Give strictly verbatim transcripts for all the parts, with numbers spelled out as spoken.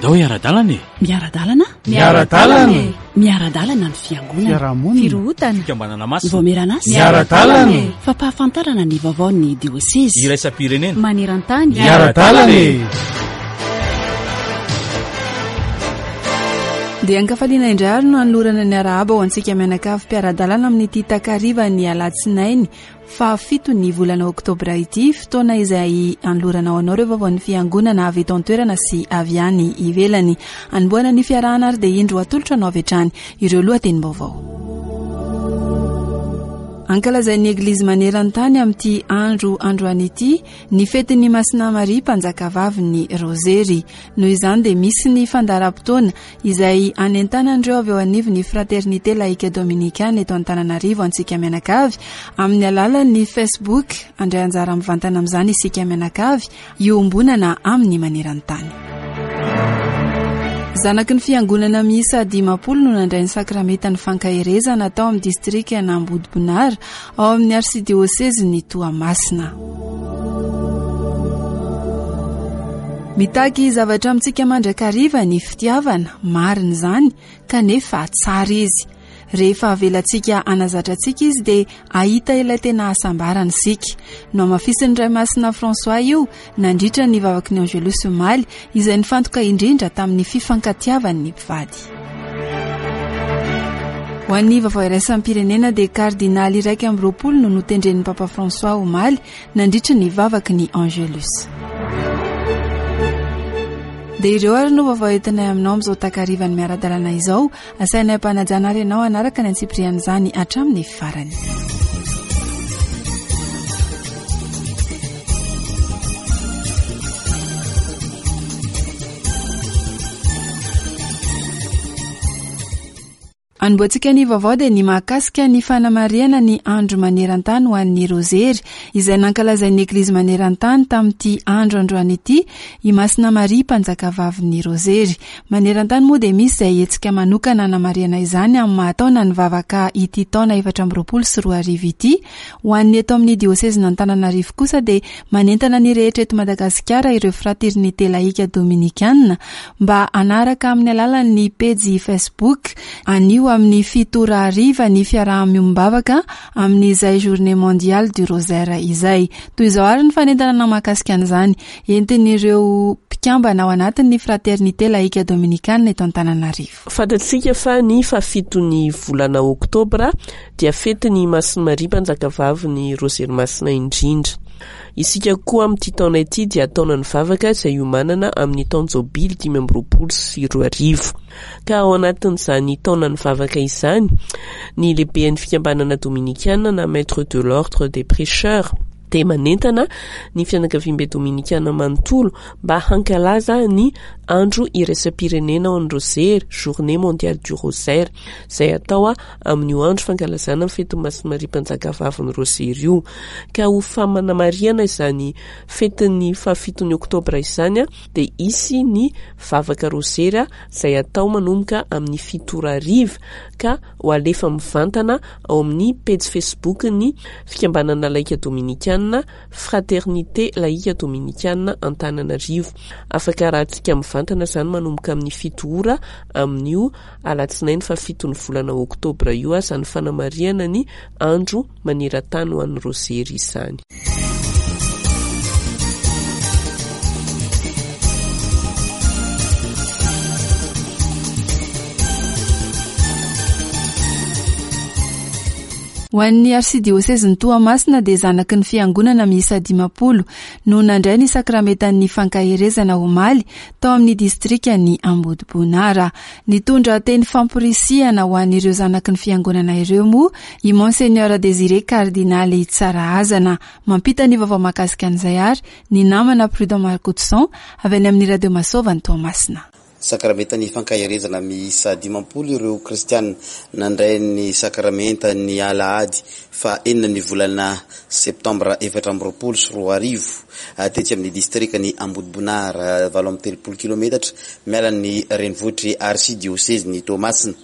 Andao hiara-dalana e! Miara-dalana? Miara-dalana e! Miara-dalana ny fiangonana. Fiarahamonina. Firohotana. Fikambanana masina. Vaomieran'asa. Miara-dalana e! Fampahafantarana ny vaovaon'ny diosezy. Iraisam-pirenena. Maneran-tany. Miara-dalana e! Dia ankafaliana indray ary no anolorana ny arahaba ho antsika mianakavy mpiara-dalana amin'ity takariva ny alatsinainy fahafito ny volana oktobra ity, fotoana izay anolorana ho anao ireo vaovaon'ny fiangonana avy eto an-toerana sy avy any ivelany. Anombohana ny fiarahana ary dia indro atolotra anao avy hatrany ireo lohatenim-baovao. Ankalazain'ny Eglizy maneran-tany amin'ity andro androany ity ny fetin'ny Masina Maria mpanjakavavin'ny Rozery. Noho izany dia misy ny fandaharam-potoana izay anentanan'ireo avy eo anivon'ny Fraternité Laïque Dominicane eto Antananarivo antsika mianakavy amin'ny alalan'ny Facebook. Andray anjara mivantana amin'izany isika mianakavy iombonana amin'ny maneran-tany. Zanaky ny fiangonana miisa dimampolo no nandray ny sakramentan'ny fankaherezana tao amin'ny distrika Ambodibonara ao amin'ny arsidiosezin'ny Toamasina. Mitaky zavatra amintsika mandrakariva ny fitiavana, marina izany, kanefa tsara izy. Rehefa avelantsika hanazatra antsika izy dia hahita ilay tena hasambarana isika. Nohamafisin'ny Ray Masina François io nandritra ny vavaky ny Angelus omaly, izay nifantoka indrindra tamin'ny fifankatiavan'ny mpivady. Ho an'ny vaovao iraisam-pirenena dia kardinaly iraika amby roapolo no notendren'ny Papa François omaly nandritra ny vavaky ny Angelus. Dia ireo ary no vaovao entinay aminao amin'izao takarivan'ny miara-dalana izao. Asainay ampanajana ary ianao hanaraka ny antsipirian'izany hatramin'ny farany. Anombohantsika ny vaovao dia ny mahakasika ny fanamarihana ny andro maneran-tany ho an'ny Rozery, izay nankalazain'ny Eglizy maneran-tany tamin'ity andro androany ity i Masina Maria mpanjakavavin'ny Rozery. Maneran-tany moa dia misy izay hetsika manokana hanamarihana izany amin'ny mahataona ny vavaka ity taona efatra amby roapolo sy roa arivo ity. Ho an'ny eto amin'ny diosezin'Antananarivo kosa dia manentana ny rehetra eto Madagasikara ireo Fraternité Laïque Dominicane mba hanaraka amin'ny alalan'ny pejy Facebook anio amin'ny fito ora hariva ny fiaraha-miombavaka amin'izay Journée mondiale du Rosaire izay. Toy izao ary ny fanentanana mahakasika an'izany entin'ireo mpikambana ao anatin'ny Fraternité Laïque Dominicane eto Antananarivo. Fantatsika fa ny fahafiton'ny volana oktobra dia fetin'ny Masina Maria mpanjakavavin'ny Rozery Masina indrindra. Isika koa amin'ity taona ity dia taonan'ny vavaka izay iomanana amin'ny taon-jobily dimy amby roapolo sy roa arivo. Ka ao anatin'izany taonan'ny vavaka izany, ny lehiben'ny fikambanana dominikana na maître de l'ordre des prêcheurs dia manentana ny fianakaviambe dominikana manontolo mba hankalaza ny andro iraisam-pirenena ho an'ny Rozery, Journée mondiale du Rosaire, izay atao amin'io andro fankalazana ny fetin'ny Masina Maria mpanjakavavin'ny Rozery io. Ka ho famanamarihana izany fetin'ny fahafiton'ny oktobra izany dia hisy ny vavaka Rozery izay atao manomboka amin'ny fito ora hariva ka ho alefa mivantana ao amin'ny pejy Facebook ny fikambanana laika dominikana Fraternité Laïque Dominicane Antananarivo. Afaka arahantsika mivantana izany manomboka amin'ny fito ora amin'io alatsinainy fahafiton'ny volana oktobra io, izany fanamarihana ny andro maneran-tany ho an'ny Rozery izany. Ho an'ny arsidiosezin'i Toamasina dia zanaky ny fiangonana miisa dimampolo no nandray ny sakramentan'ny fankaherezana omaly tao amin'ny distrikan'i Ambodibonara. Nitondra teny famporisihana ho an'ireo zanaky ny fiangonana ireo moa i Monseigneur Désiré Cardinaly Tsarahazana. Mampita ny vaovao mahakasika an'izay ary ny namana Prudent Marcoutson avy any amin'ny Radio Masova ny Toamasina. Sakramentan'ny fankaherezana miisa dimampolo ireo kristiana nandray ny sakramentan'ny alahady fa enina ny volana septambra efatra amby roapolo sy roa arivo tetsy amin'ny distrikan'i Ambodibonara, valo amby telopolo kilometatra miala ny renivohitr'i arsidiosezin'i Toamasina.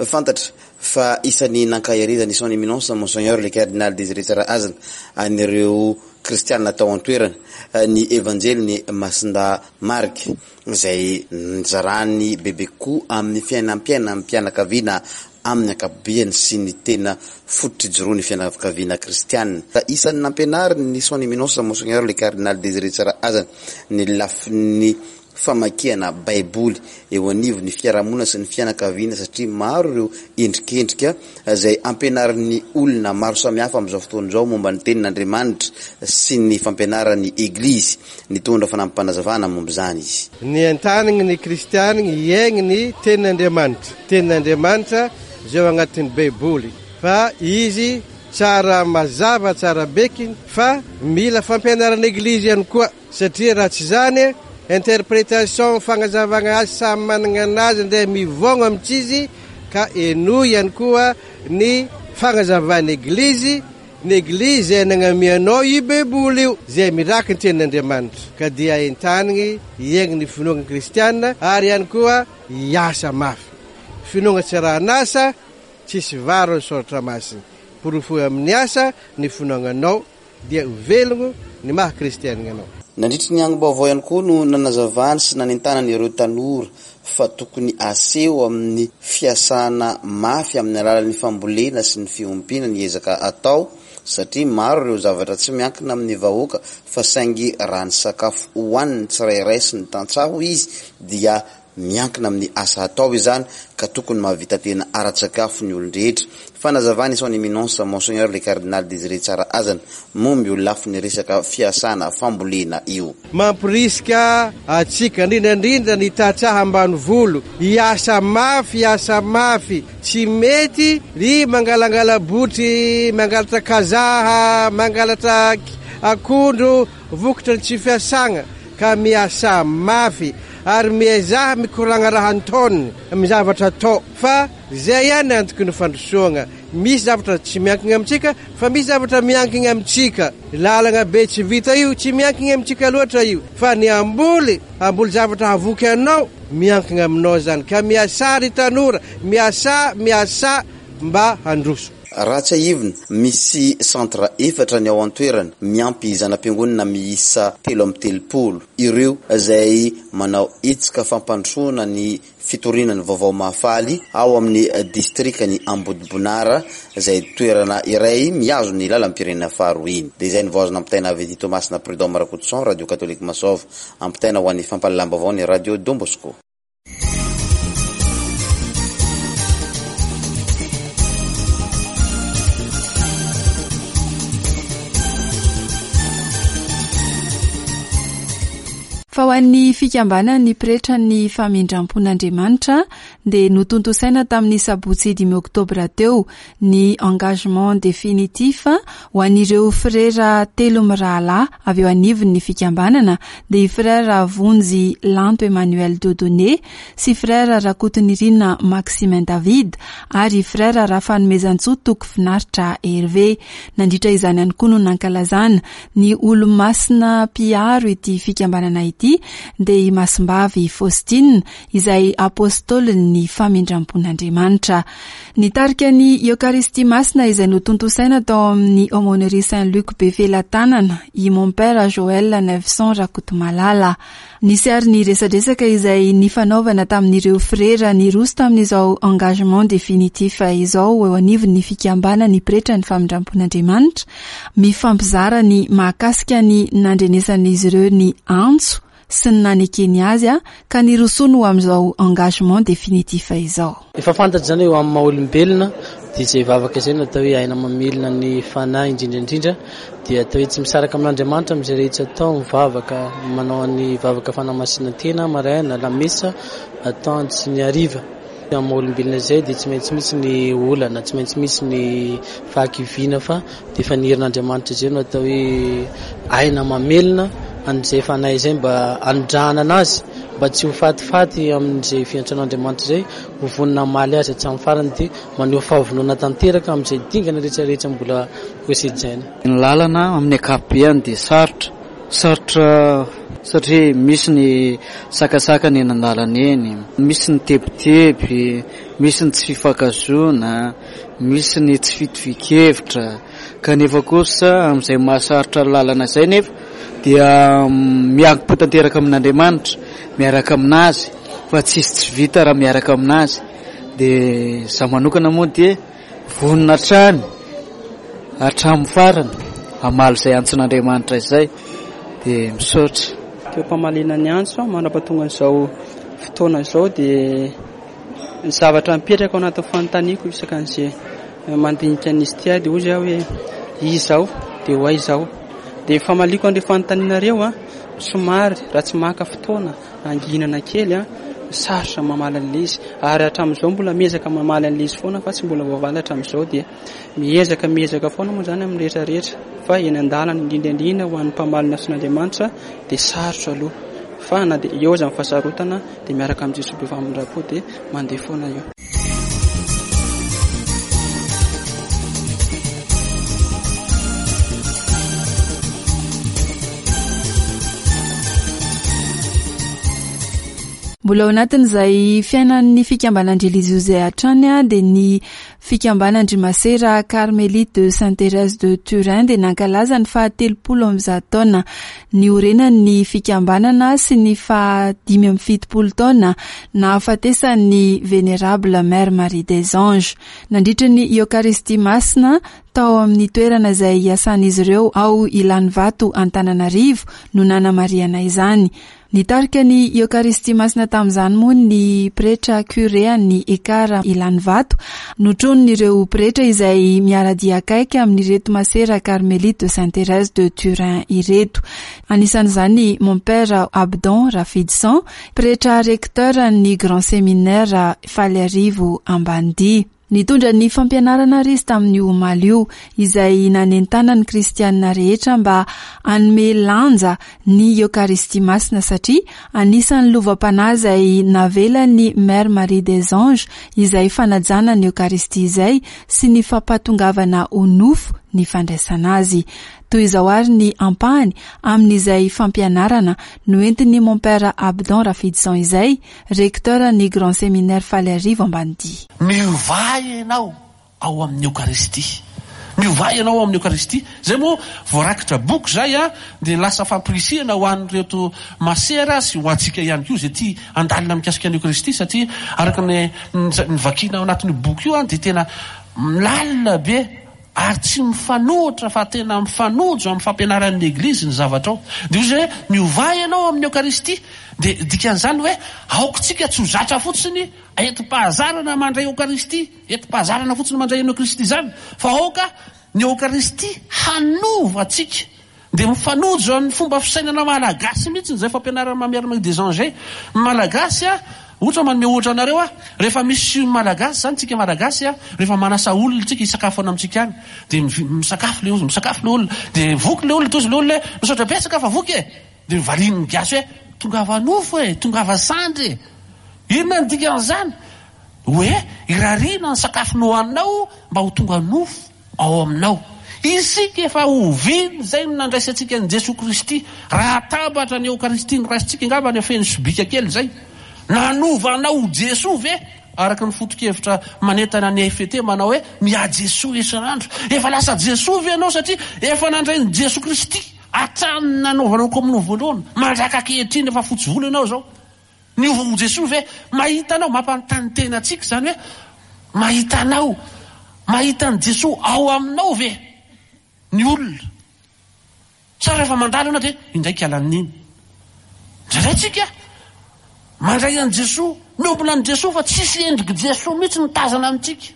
Fantatra fa isan'ny nankaherezan'ny son éminence Monseigneur le Cardinal Désiré Tsarahazana an'ireo kristianina tao an-toerana ny Evanjelin'i Masindahy Marka izay nizarany bebe kokoa amin'ny fiainam-piainam-pianakaviana amin'ny ankapobeany sy ny tena fototra ijoroan'ny fianakaviana kristianina. Isan'ny nampianariny ny Son Eminence Monseigneur le Cardinal Désiré Tsarahazana ny lafiny famakiana Baiboly eo anivon'ny fiarahamonina sy ny fianakaviana, satria maro ireo endrikendrika izay ampianarin'ny olona maro samihafa amin'izao fotoana izao momba ny tenin'Andriamanitra sy ny fampianaran'ny Eglizy. Nitondra fanampim-panazavana momba izany izy. Ny entaniny ny kristianina hiaigny ny tenin'Andriamanitra. Tenin'Andriamanitra izay ao anatin'ny Baiboly, fa izy tsara mazava tsara bekiny, fa mila fampianaran'ny Eglizy ihany koa, satria raha tsy izany interprétation fagnazavagna azy samy manana anazy ndray mivogno amintsy, ka enoy ihany koa ny fagnazavan'ny Eglizy. Ny Eglizy izay nagnamianao io Baiboly io, izay miraky ny tenin'Andriamanitra, ka dia entaniny hiaigny ny finoana kristianina ary ihany koa hiasa mafy. Finoana tsy rahan'asa, tsisy varo ny soratra masina. Porofoy amin'ny asa ny finoananao, dia velogno ny maha kristianina anao. Nandritry ny angom-baovao ihany koa no nanazavany sy nanentanany ireo tanora fa tokony aseho amin'ny fiasana mafy amin'ny alalan'ny fambolena sy ny fiompiana ny ezaka atao, satria maro ireo zavatra tsy miankina amin'ny vahoaka fa saingy raha ny sakafo hohanin'ny tsirairay sy ny tantsaha hoy izy dia miankina amin'ny asa atao izany, ka tokony mahavita tena ara-tsakafo ny olon-drehetra. Fanazavany Son Eminence Monseigneur le Cardinal Désiré Tsarahazana momba io lafiny resaka fiasana fambolena io. Mampirisika atsika indrindra indrindra ny tantsaha ambanivolo hiasa mafy, hiasa mafy. Tsy mety ry mangalangala botry, mangalatra kazaha, mangalatra akondro, vokatra ny tsy fiasagna, ka miasa mafy ary miezaha mikoragna raha antaoniny amin'ny zavatra atao, fa zay ihany antoky ny fandrosoagna. Misy zavatra tsy miankina amintsika, fa misy zavatra miankina amintsika. Lalagna be tsy vita io, tsy miankina amintsika loatra io, fa ny amboly, amboly zavatra havoky anao, miankina aminao zany. Ka miasa ry tanora, miasa, miasa mba handroso. Raha tsiahivina, misy centre efatra ny ao an-toerana, miampy zana-piangonana miisa telo amby telopolo. Ireo izay manao hetsika fampandrosoana ny fitoriana ny vaovao mahafaly ao amin'ny distrikan'i Ambodibonara, izay toerana iray mihazo ny lalam-pirenena faharoa iny. Dia izay ny voazona ampitaina avy eto Toamasina, Prud'homme Rakotoson, Radio Catholique Masova, ampitaina ho an'ny fampahalalam-baovao ny Radio Don Bosco. Fa ho an'ny fikambanan'ny pretra ny famindram-pon'Andriamanitra dia notontosaina tamin'ny sabotsy dimy oktobra teo ny engagement définitif ho an'ireo frera telo mirahalahy avy eo anivon'ny fikambanana, dia i frera Vonjy Lanto Emmanuel Dieudonné sy frera Rakotonirina Maximin David ary frera Rafanomezantsoa Toky Finaritra Hervé. Nandritra izany ihany koa no nankalazana ny olomasina mpiaro ity fikambanana ity, dia i Masimbavy Faustine izay apôstôlin'ny famindram-pon'Andriamanitra. Nitarika ny Eokaristia Masina izay notontosaina tao amin'ny Aumônerie Saint-Luc Befelatanana i Mon Père Joël Neufson Rakotomalala. Nisy ary ny resadresaka izay nifanaovana tamin'ireo frera niroso tamin'izao engagement définitif izao eo anivon'ny fikambanan'ny pretra ny famindram-pon'Andriamanitra, mifampizara ny mahakasika ny nandrenesan'izy ireo ny antso sy ny nanekeny azy a, ka nirosoany ho amin'izao engagement définitif izao. Efa fantatra izany hoe amin'ny maha olombelona dia izay vavaka izay no atao hoe aina mamelona ny fanahy indrindra indrindra, dia atao hoe tsy misaraka amin'Andriamanitra amin'izay rehetra atao, mivavaka, manao ny vavaka fanamasinana-tena maraina, lamesa atoandro sy ny hariva. Amin'ny maha olombelona izay dia tsy maintsy misy ny olana, tsy maintsy misy ny fahakiviana, fa dia efa ny herin'Andriamanitra izay no atao hoe aina mamelona an'izay fanahy izay mba hanondrahana anazy, mba tsy ho fatifaty amin'izay fiantsoan'Andriamanitra izay, ho vonona hamaly azy hatramin'ny farany, dia maneho fahavonona tanteraka amin'izay dingana rehetrarehetra mbola hosedraina. Ny lalana amin'ny ankapobeny dia sarotra, sarotra satria misy ny sakasaka ny eny an-dalana eny, misy ny tebiteby, Misy ny tsy fifankahazoana, misy ny tsy fitovian-kevitra, kanefa kosa amin'izay mahasarotra ny lalana izay nefa dia miankim-po tanteraka amin'Andriamanitra, miaraka aminazy, fa tsisy tsy vita raha miaraka aminazy. Dia izaho manokana moa dia vonona hatrany hatramin'ny farany hamaly izay antson'Andriamanitra izay, dia misaotra. Teo am-pamaliana ny antso mandra-pahatonga an'izao fotoana izao dia ny zavatra mipetraka ao anatin'ny fanontaniako isaka an'izay mandinika an'izy ity aho dia hoy aho hoe iza aho dia ho aiza aho. Dia famaliako an'ireo fanontanianareo a, somary raha tsy maka fotoana anginana kely a, sarotra mamaly an'ilay izy, ary hatramin'izao mbola miezaka mamaly an'ilay izy foana fa tsy mbola voavaly hatramin'izao. Dia miezaka miezaka foana moa izany amin'ny rehetra rehetra, fa eny an-dalana indrindra indrindra ho an'ny mpamaly ny antson'Andriamanitra dia sarotra aloha, fa na dia eo aza ny fahasarotana dia miaraka amin'i Jesoa be famindram-po dia mandeha foana io. Mbola ao anatin'izay fiainan'ny fikambanan-drelijiozy izay hatrany a, dia ny fikambanan-dry Masera Carmelite de Sainte Thérèse de Turin dia nankalaza ny fahatelopolo amby zato taona niorenan'ny fikambanana sy ny fahadimy amby fitopolo taona nahafatesan'ny Vénérable Mère Marie des Anges. Nandritra ny Eokaristia Masina tao amin'ny toerana izay iasan'izy ireo ao Ilanivato Antananarivo no nanamarihana izany. Nitarika ny Eokaristia Masina tamin'izany moa ny pretra curé an'ny Ekara Ilanivato, notronin'ireo pretra izay miara-dia akaiky amin'ireto Masera Carmelite de Sainte Thérèse de Turin ireto. Anisan'izany mon père Abdon Rafidison, pretra recteur ny Grand Séminaire Faliarivo Ambanidia. Nitondra ny fampianarana ary izy tamin'io omaly io, izay nanentana ny kristianina rehetra mba hanome lanja ny Eokaristia Masina, satria anisan'ny lovam-panahy izay navelan'ny Mère Marie des Anges izay fanajana ny Eokaristia izay sy ny fampatongavana ho nofo ny fandraisana azy. Toy izao ary ny ampahany amin'izay fampianarana noentin'ny mon père Abdon Rafidison izay, recteur ny Grand Séminaire Faliarivo Ambanidia. Miovà ianao ao amin'ny Eokaristia. Miovà ianao ao amin'ny Eokaristia. Zay moa voarakitra boky zay a, dia lasa fampirisihana ho an'ireto masera sy ho antsika ihany koa izay tia handalina mikasika ny Eokaristia, satria araka ny, ny vakiana ao anatin'io boky io a, dia tena lalina be ary tsy mifanohitra fa tena mifanojo amin'ny fampianaran'ny Eglizy ny zavatra ao. Dia hoy izy hoe miovà ianao amin'ny Eokaristia. Dia dikan'izany hoe aoka tsika tsy ho zatra fotsiny entim-pahazarana mandray Eokaristia, entim-pahazarana fotsiny mandray ny Eokaristia izany, fa aoka ny Eokaristia hanova antsika. Dia mifanojo amin'ny fomba fisainana malagasy mihitsy izay fampianarana Mère Marie des Anges. Malagasy a, ohatra manome ohatra anareo a, rehefa misy malagasy zany tsika malagasy a, rehefa manasa olona tsika hisakafo any amintsika any, dia mivi-, misakafo le olona, misakafo le olona, dia voky le olona, tozy le olona hoe misaotra betsaka fa voky e, dia valian'ny gasy hoe tongava nofo e, tongava sandry e. Inona ny dikan'izany? Hoe irariana ny sakafo nohaninao mba ho tonga nofo ao aminao. Isika efa oviana izay no nandraisantsika an'i Jesoa Kristy. Raha atambatra ny Eokaristia noraisintsika angamba ny feno sobika kely izay. Nanova anao ho Jesoa ve? Araka ny foto-kevitra manentana ny F T manao hoe miha Jesoa isan'andro. Efa lasa Jesoa ve ianao satria efa nandray ny Jesoa Kristy hatramin'ny nanaovanao komonio voalohany mandraka ankehitriny efa fotsy volo ianao izao. Niova ho Jesoa ve? Mahita anao, mampanontany tena antsika izany hoe mahita anao, mahita an'i Jesoa ao aminao ve ny olona? Sa rehefa mandalo ianao dia indraiky alan'iny. Indraindray tsika mandray an'i Jesoa, miombona an'i Jesoa fa tsisy endrik'i Jesoa mihitsy mitazana amintsika.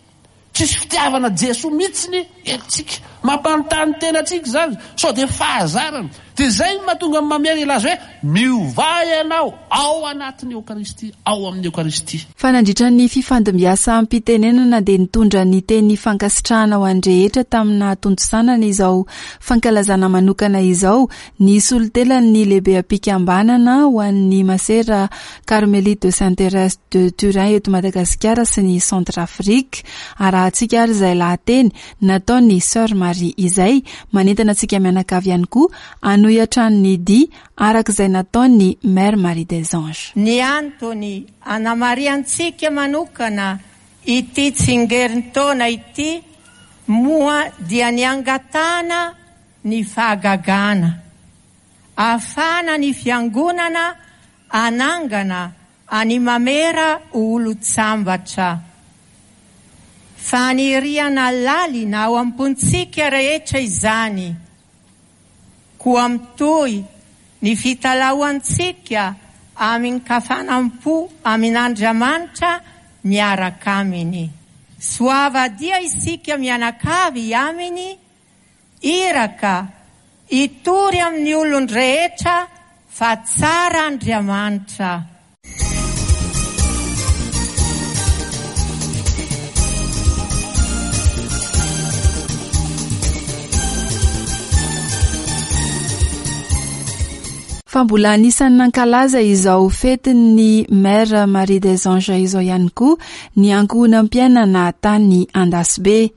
Tsisy fitiavana Jesoa mihitsy ny endritsika. Mampanontany tena antsika izany, sao dia fahazarana. Dia izay no mahatonga ny Mamera hilaza hoe miovà ianao ao anatin'ny Eokaristia, ao amin'ny Eokaristia. Fa nandritra ny fifandimbiasam-pitenenana dia nitondra ny teny fankasitrahana ho an'ny rehetra tamin'ny nahatontosanana izao fankalazana manokana izao ny solontenan'ny lehibeam-pikambanana ho an'ny Masera Carmelite de Sainte Thérèse de Turin eto Madagasikara sy ny Centrafrique. Arahantsika ary izay lahateny nataon'ny Sœur Marie izay manentana antsika mianakavy ihany koa hanohy hatrany ny dia araka izay nataon'ny Mère Marie des Anges. Ny antony anamarihantsika manokana Ity tsingerintaona ity moa dia niangatana ny fahagagana. Ahafahana ny fiangonana anangana any mamera olo-tsambatra. Faniriana lalina ao am-pontsika rehetra izany. Koa mitohy ny fitalahoantsika amin-kafanam-po amin'Andriamanitra miaraka aminy. Soava dia isika mianakavy aminy, iraka hitory amin'ny olon-drehetra fa tsara Andriamanitra. Fa mbola anisan'ny nankalaza izao fetin'ny Mère Marie des Anges izao ihany koa ny ankohonam-piainana tany Andasibe.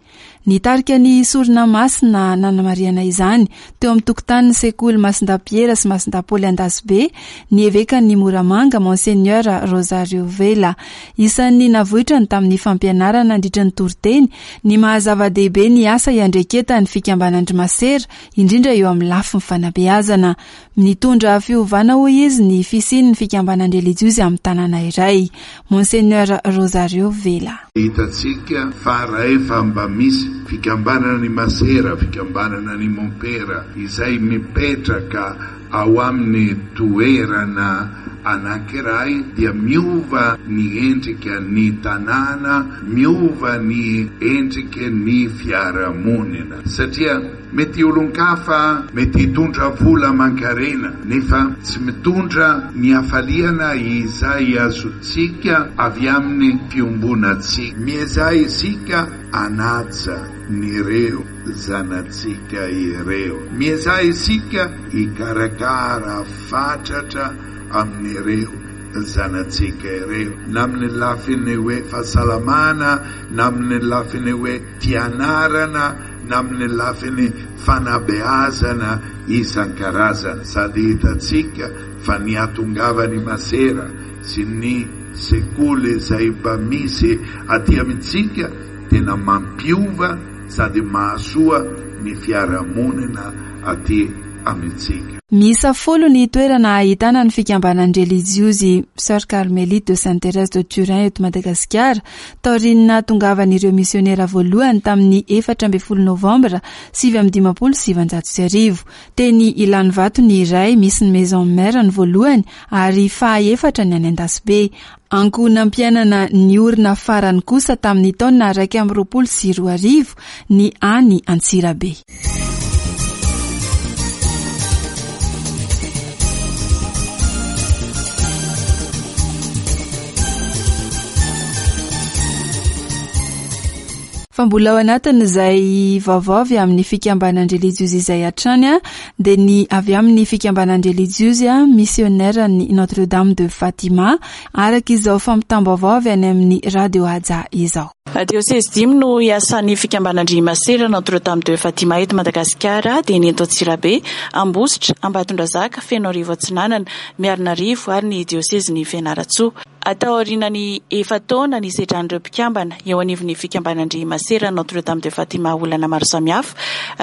Nitarika ny sorona masina nanamarihana izany teo amin'ny tokotanin'ny sekoly Masindapiera sy Masindapaoly Andasibe ny evekan'ny Moramanga Monseigneur Rosario Vela. Isan'ny navoitrany tamin'ny fampianarana nandritra ny toriteny ny maha-zava-dehibe ny asa iandreketan'ny fikambanan-dry masera, indrindra eo amin'ny lafiny fanabeazana. Nitondra fiovana hoy izy ny fisian'ny fikambanan-drelijiozy amin'ny tanàna iray. Monseigneur Rosario Vela. Hitantsika fa rehefa mba misy fikambanana ny masera, fikambanana ny mompera izay mipetraka ao amin'ny toerana anankiray dia miova ny endrika ny tanàna, miova ny endrika ny fiarahamonina. Satria mety olon-kafa, mety hitondra vola aman-karena, nefa tsy mitondra ny hafaliana izay azontsika avy amin'ny fiombonantsika. Miezaha isika hanaja nireo zanatsika ireo. Miezaha isika hikarakara fatratra amin'ireo zanatsika ireo, na amin'ny lafiny hoe fahasalamana, na amin'ny lafiny hoe fianarana, na amin'ny lafiny fanabeazana isan-karazany. Sady hitantsika fa ny hatongavan'ny masera sy ny sekoly izay mba misy aty amintsika tena mampiova sady mahasoa ny fiarahamonina aty amintsika. Miisa folo ny toerana ahitana ny fikambanan-drelijiozy Sœur Carmélite de Sainte Thérèse de Turin eto Madagasikara, taorian'ny nahatongavan'ireo misionera voalohany tamin'ny efatra ambin'ny folo novambra sivy amby dimampolo sy sivinjato sy arivo. Teny Ilanivato ny iray, misy ny Maison Mère ny voalohany ary fahaefatra ny any Andasibe. Ankohonam-piainana niorina farany kosa tamin'ny taona iraika amby roapolo sy roa arivo ny any Antsirabe. Fa mbola ao anatin'izay vaovao avy amin'ny fikambanan-drelijiozy izay hatrany a, dia ny avy amin'ny fikambanan-drelijiozy a misionera ny Notre Dame de Fatima, araka izao fampitam-baovao avy any amin'ny Radio Haja izao. Diosezy dimy no iasan'ny fikambanan-dry masera Notre Dame de Fatima eto Madagasikara, dia ny eto Antsirabe, Ambositra, Ambatondrazaka, Fenoarivo Atsinanana, Miarinarivo ary ny diosezin'ny Fianarantsoa. Atao aorian'ny efa-taona ny sedran'ireo mpikambana eo anivon'ny fikambanan-dry masera Notre Dame de Fatima olana maro samihafa,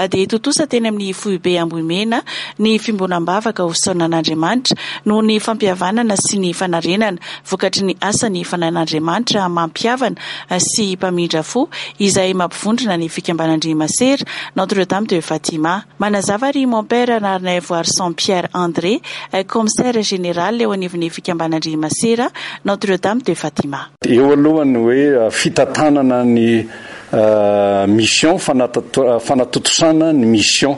dia tontosa teny amin'ny foibe Ambohimena ny fiombonam-bavaka ho fisaonan'Andriamanitra noho ny fampihavanana sy ny fanarenana vokatry ny asan'ny fanahin'Andriamanitra mampihavana sy mpamindra fo izay mampivondrona ny fikambanan-dry masera Notre Dame de Fatima. Manazava ry mon père Narnaivoarison Pierre André, commissaire général eo anivon'ny fikambanan-dry masera Notre Dame de Fatima. Eo alohany hoe fitantanana ny mission, fanatontosana ny mission,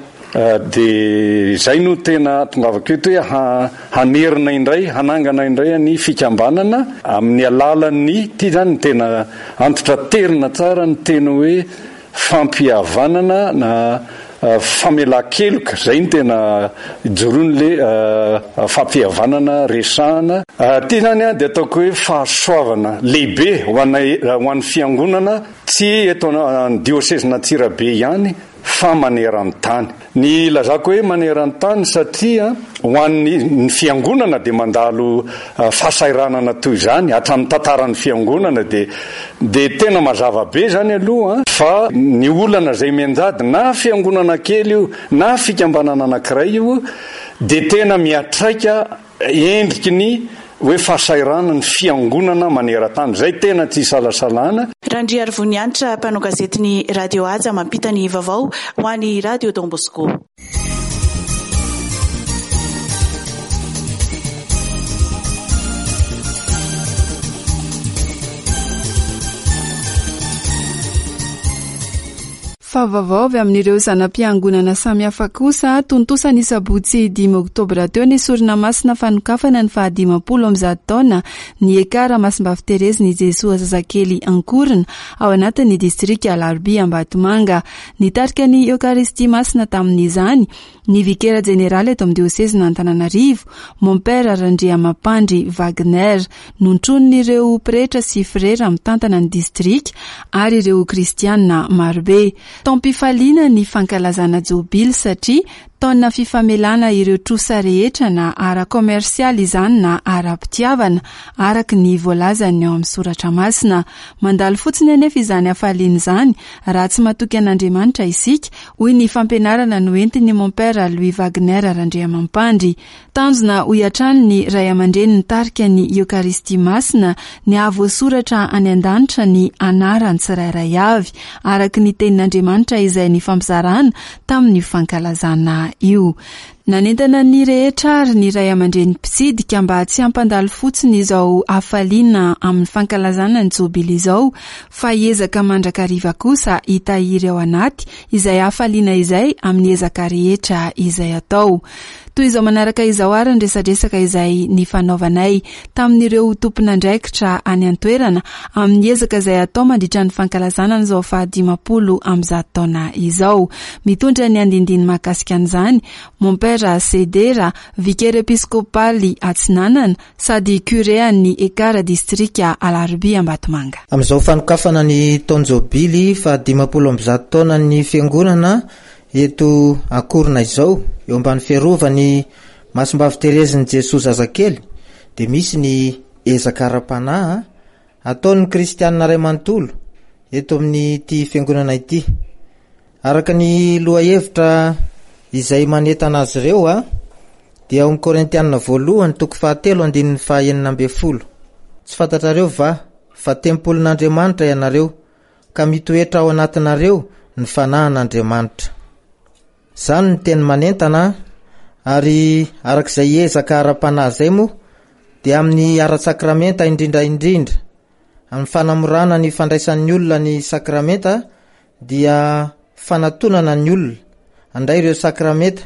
dia izay no tena tongavako eto hoe hanerina indray, hanangana indray ny fikambanana amin'ny alalan'ny ity zany tena antitra terina tsara ny teny hoe fampihavanana na famelan-keloka, izay no tena ijoroan'le fampihavanana resahana. Ity zany a dia ataoko hoe fahasoavana lehibe ho anay, ho an'ny fiangonana, tsy eto an diôsezin'Antsirabe ihany fa maneran-tany. Ny ilazako hoe maneran-tany satria ho an'ny ny fiangonana dia mandalo fahasahiranana toy izany hatramin'ny tantaran'ny fiangonana, dia dia tena mazava be izany aloha fa ny olana izay mianjady na fiangonana kely io na fikambanana anankiray io dia tena miatraika endriky ny hoe fahasahiranana ny fiangonana maneran-tany, izay tena tsy isalasalana. Randriarivonianitra, mpanao gazetin'ny Radio Haja, mampita ny vaovao ho an'ny Radio Don Bosco. Fa vaovao avy amin'ireo zana-piangonana samihafa kosa, tontosa ny sabotsy dimy oktobra teo ny sorona masina fanokafana ny fahadimampolo amby zato taona ny Ekara Masimbavy Terezy ny Jesoa zazakely Ankorona ao anatin'ny distrika Alarobia Ambatomanga. Nitarika ny Eokaristia masina tamin'izany ny vikera jeneraly eto amin'ny diosezin'Antananarivo, Mompera Randriamampandry Wagner, nontronin'ireo pretra sy frera mitantana ny distrika ary ireo kristiana marobe. Taom-pifaliana ny fankalazana jobily satria taona fifamelana ireo trosa rehetra na ara-komersialy izany na ara-pitiavana, araka ny voalazany ao amin'ny soratra masina. Mandalo fotsiny anefa izany hafaliana izany raha tsy matoky an'Andriamanitra isika, hoy ny fampianarana noentin'ny Mompera Louis Wagner Randriamampandry. Tanjona hoy hatrany ny ray aman-dreny nitarika ny Eokaristia masina ny hahavoasoratra any an-danitra ny anarany tsirairay avy, araka ny tenin'Andriamanitra izay nifampizarana tamin'ny fankalazana io. Nanentana ny rehetra ary ny ray aman-dreny mpitsidika mba tsy hampandalo fotsiny izao hafaliana amin'ny fankalazana ny jobily izao, fa hiezaka mandrakariva kosa hitahiry ao anaty izay hafaliana izay amin'ny ezaka rehetra izay atao. Toy izao manaraka izao ary ny resadresaka izay nifanaovanay tamin'ireo tompon'andraikitra any an-toerana amin'ny ezaka izay atao mandritra ny fankalazana an'izao fahadimampolo amby zato taona izao. Mitondra ny andindiny mahakasika an'izany Mompera Sedera, vikera episkopaly Atsinanana sady curé an'ny Ekara distrika Alarobia Ambatomanga. Amin'izao fanokafana ny taon-jobily fahadimampolo amby zato taonan'ny fiangonana eto Ankorona izao, eo ambany fiarovan'ny Masimbavy Terezin'i Jesoa zazakely, dia misy ny ezaka ara-panahy ataon'ny kristianina iray manontolo eto amin'ity fiangonana ity. Araka ny lohahevitra izay manentana azy ireo, dia ao amin'ny Korintianina voalohany toko fahatelo andininy fahaenina ambin'ny folo. Tsy fantatrareo va fa tempolin'Andriamanitra ianareo, ka mitoetra ao anatinareo ny fanahin'Andriamanitra. Izany ny teny manentana, ary arak'izay ezaka ara-panahy izay moa dia amin'ny ara-tsakramenta indrindra indrindra, amin'ny fanamorana ny fandraisan'ny olona ny sakramenta dia fanatonana ny olona handray ireo sakramenta,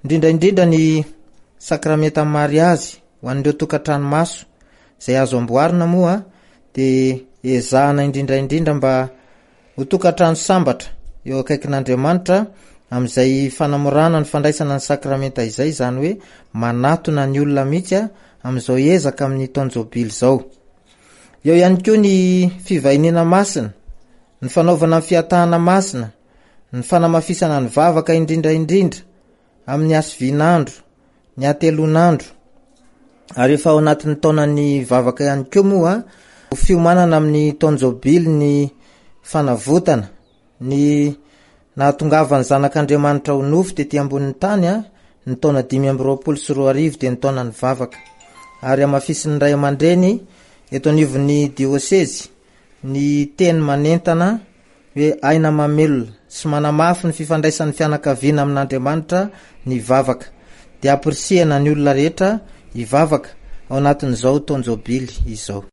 indrindra indrindra ny sakramenta mariazy ho an'ireo tokantrano maso izay azo amboarina moa dia ezahana indrindra indrindra mba ho tokantrano sambatra eo akaikin'Andriamanitra amin'izay fanamorana ny fandraisana ny sakramenta izay, izany hoe manatona ny olona mihitsy amin'izao ezaka amin'ny taon-jobily izao. Eo ihany koa ny fivahiniana masina, ny fanaovana ny fiatahana masina, ny fanamafisana ny vavaka indrindra indrindra amin'ny hasivin'andro, ny hatelon'andro. Ary efa ao anatin'ny taonan'ny vavaka ihany koa moa ho fiomanana amin'ny taon-jobily ny fanavotana, ny nahatongavan'ny zanak'Andriamanitra ho nofo tety ambonin'ny tany, ny taona dimy amby roapolo sy roa arivo dia ny taonan'ny vavaka. Ary hamafisin'ny ray aman-dreny eto anivon'ny diosezy ny teny manentana hoe aina mamelona sy manamafy ny fifandraisan'ny fianakaviana amin'Andriamanitra ny vavaka. Dia ampirisihana ny olona rehetra hivavaka ao anatin'izao taon-jobily izao.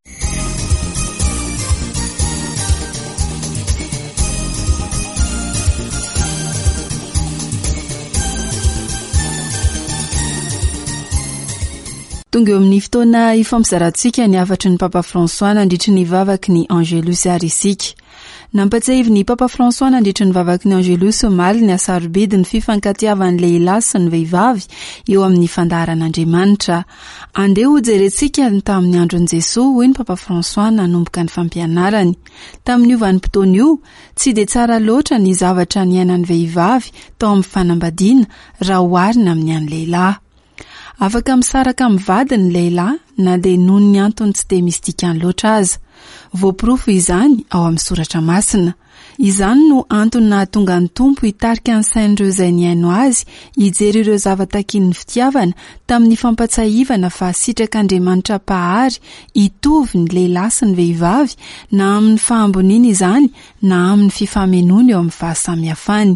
Tonga eo amin'ny fotoana ifampizarantsika ny hafatry ny Papa François nandritry ny vavaky ny Angelus ary isika. Nampatsiahivin'ny Papa François nandritra ny vavaky ny Angelus omaly ny hasarobidy ny fifankatiavan'ny lehilahy sy ny vehivavy eo amin'ny fandaharan'Andriamanitra. Andeha hojerentsika ny tamin'ny andron'i Jesoa, hoy ny Papa François nanomboka ny fampianarany. Tamin'io vanim-potoana io, tsy dia tsara loatra ny zavatra niainan'ny vehivavy tao amin'ny fanambadiana raha oharina amin'ny an'ny lehilahy. Afaka misaraka amin'ny vadiny ny lehilahy na dia noho ny antony tsy dia misy dikany loatra aza. Voaporofo izany ao amin'ny soratra masina. Izany no antony nahatonga ny Tompo hitarika ny sain'ireo izay nihaino azy hijery ireo zava-takin'ny fitiavana tamin'ny fampatsiahivana fa sitrak'Andriamanitra mpahary hitovy ny lehilahy sy ny vehivavy na amin'ny fahamboniana izany na amin'ny fifamenoana eo amin'ny fahasamihafany,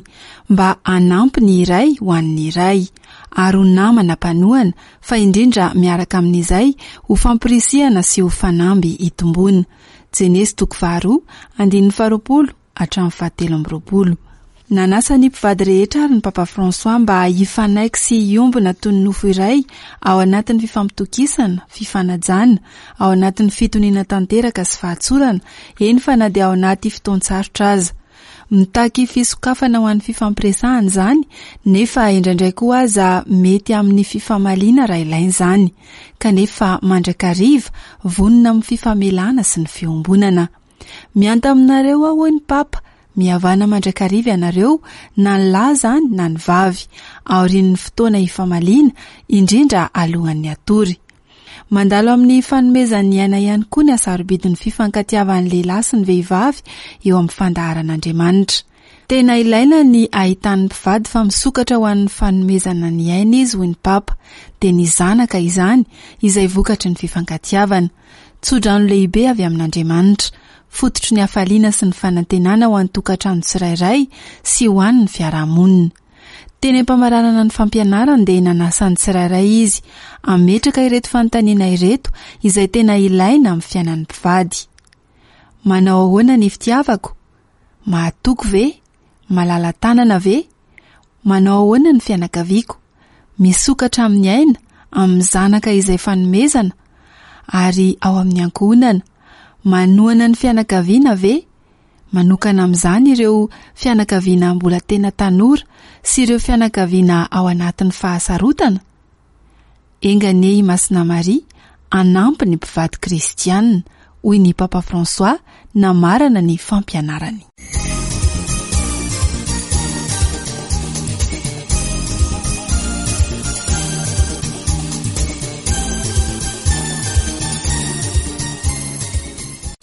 mba hanampy ny iray ho an'ny iray ary ho namana mpanohana, fa indrindra miaraka amin'izay ho fampirisihana sy ho fanamby hitomboana. Jenesy toko faharoa, andininy faharoapolo hatramin'ny fahatelo amby roapolo. Nanasa ny mpivady rehetra ary ny Papa François mba hifanaiky sy hiombona toy ny nofo iray ao anatin'ny fifampitokisana, fifanajana, ao anatin'ny fitoniana tanteraka sy fahatsorana, eny fa na dia ao anaty fotoan-tsarotra aza. Mitaky fisokafana ho an'ny fifampiresahana izany, nefa indraindray koa aza mety amin'ny fifamaliana raha ilaina izany, kanefa mandrakariva vonona amin'ny fifamelana sy ny fiombonana. Mianta aminareo aho, hoy ny Papa, mihavana mandrakariva ianareo, na ny lahy izany na ny vavy, aorian'ny fotoana hifamaliana, indrindra alohan'ny hatory. Mandalo amin'ny fanomezan'ny aina ihany koa ny hasarobidin'ny fifankatiavan'ny lehilahy sy ny vehivavy eo amin'ny fandaharan'Andriamanitra. Tena ilaina ny ahitan'ny mpivady fa misokatra ho an'ny fanomezana ny aina izy, hoy ny Papa, dia ny zanaka izany izay vokatry ny fifankatiavana. Tsodrano lehibe avy amin'Andriamanitra, fototry ny hafaliana sy ny fanantenana ho an'ny tokantrano tsirairay sy ho an'ny fiarahamonina. Teny am-pamaranana ny fampianarany dia nanasa ny tsirairay izy hametraka ireto fanontaniana ireto izay tena ilaina amin'ny fiainan'ny mpivady. Manao ahoana ny fitiavako? Mahatoky ve? Malala-tanana ve? Manao ahoana ny fianakaviako? Misokatra amin'ny aina, amin'ny zanaka izay fanomezana, ary ao amin'ny ankohonana. Manohana ny fianakaviana ve? Manokana amin'izany ireo fianakaviana mbola tena tanora sy ireo fianakaviana ao anatin'ny fahasarotana? Enga anie i Masina Maria hanampy ny mpivady kristianina, hoy ny Papa François namarana ny fampianarany.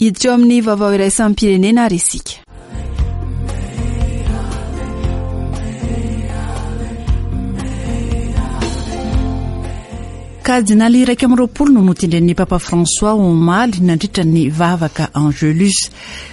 Hiditra eo amin'ny vaovao iraisam-pirenena ary isika. Kardinaly iraika amby roapolo no notendren'ny Papa François omaly nandritra ny vavaka Angelus.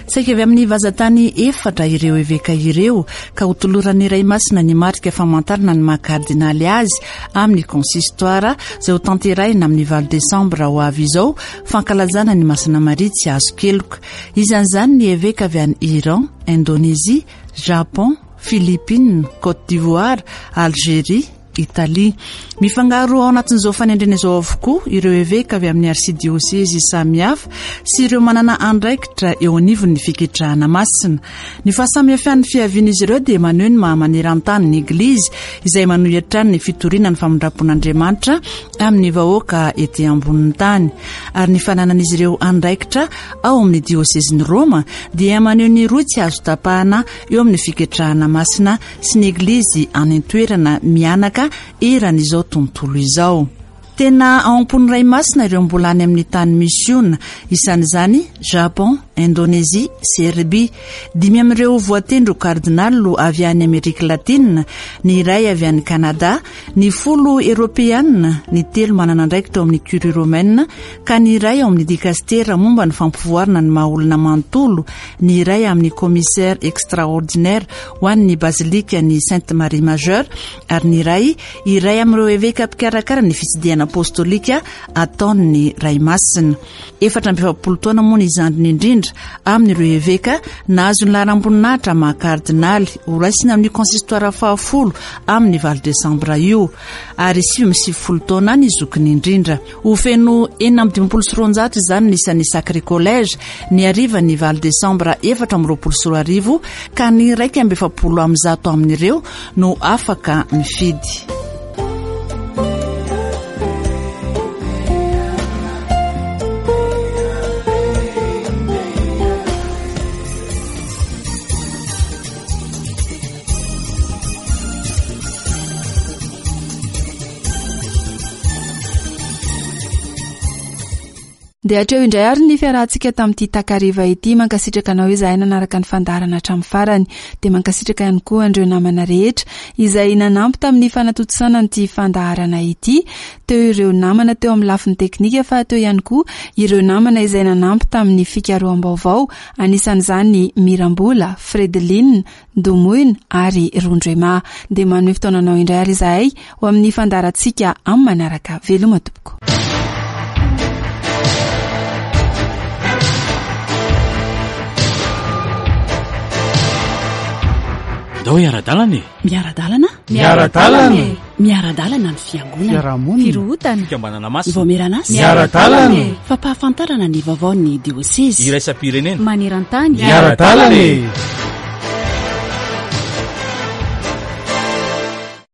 Saika avy amin'ny vazantany efatra ireo eveka ireo ka hotoloran'ny Ray Masina ny marika famantarana ny maha kardinaly azy amin'ny consistoire izay ho tanterahina amin'ny valo desambra ho avy izao, fankalazana ny Masina Maria tsy azo keloka. Isan'izany ny eveka avy any Iran, Indonésie, Japon, Philippines, Côte d'Ivoire, Algérie, Italie. Mifangaro ao anatin'izao fanendrena izao avokoa ireo eveka avy amin'ny arsidiosezy samihafa sy ireo manana andraikitra eo anivon'ny fiketrahana masina. Ny fahasamihafan'ny fiavian'izy ireo dia maneho ny maha maneran-tany ny Eglizy izay manohy hatrany ny fitoriana ny famindram-pon'Andriamanitra amin'ny vahoaka ety ambonin'ny tany. Ary ny fananan'izy ireo andraikitra ao amin'ny diosezin'i Roma dia maneho ny rohy tsy azo tapahana eo amin'ny fiketrahana masina sy ny Eglizy any an-toerana mianaka eran'izao tontolo izao. Tena ao am-pon'ny Ray Masina ireo mbola any amin'ny tany misiona, isan'izany Japon, Indonésie, Serbie. Dimy amin'ireo voatendry ho kardinaly avy any Amerika Latina, ny iray avy any Canada, ny folo Eoropeana, ny telo manana andraikitra ao amin'ny Curie romaine, ka ny iray ao amin'ny dikastera momba ny fampivoarana ny maha olona manontolo, ny iray amin'ny commissaire extraordinaire ho an'ny bazilika ny Sainte Marie Majeure, ary ny iray iray amin'ireo eveka mpikarakara ny fitsidihana apostolika ataon'ny Ray Masina. Efatra amby efapolo taona moa ny zandriny indrindra indrindra amin'ireo eveka nahazo ny laharam-boninahitra maha kardinaly horaisina amin'ny consistoire fahafolo amin'ny valo desambra io, ary sivy amby sivifolo taona ny zokiny indrindra. Ho feno enina amby dimampolo sy roanjato izany ny isan'ny Sacré Collège ny hariva ny valo desambra efatra amby roapolo sy roa arivo, ka ny iraika amby efapolo amby zato amin'ireo no afaka mifidy. Dia hatreo indray ary ny fiarahantsika tamin'ity takariva ity. Mankasitraka anao izahay nanaraka ny fandaharana hatramin'ny farany. Dia mankasitraka ihany koa an'ireo namana rehetra izay nanampy tamin'ny fanatontosana an'ity fandaharana ity. Teo ireo namana teo amin'ny lafiny teknika, fa teo ihany koa ireo namana izay nanampy tamin'ny fikaroham-baovao, anisan'izany Mirambola, Fredeline, Domoina ary Rondrema. Dia manome fotoana anao indray ary izahay ho amin'ny fandaharantsika amin'ny manaraka. Veloma tompoko. Ndao hiara-dalana e. Miara-dalana? Miara-dalana e. Miara-dalana ny fiangonana. Fiarahamonina. Firohotana. Fikambanana masina. Vaomieran'asa. Miara-dalana e. Fampahafantarana ny vaovaon'ny diosezy. Iraisam-pirenena. Maneran-tany. Miara-dalana e.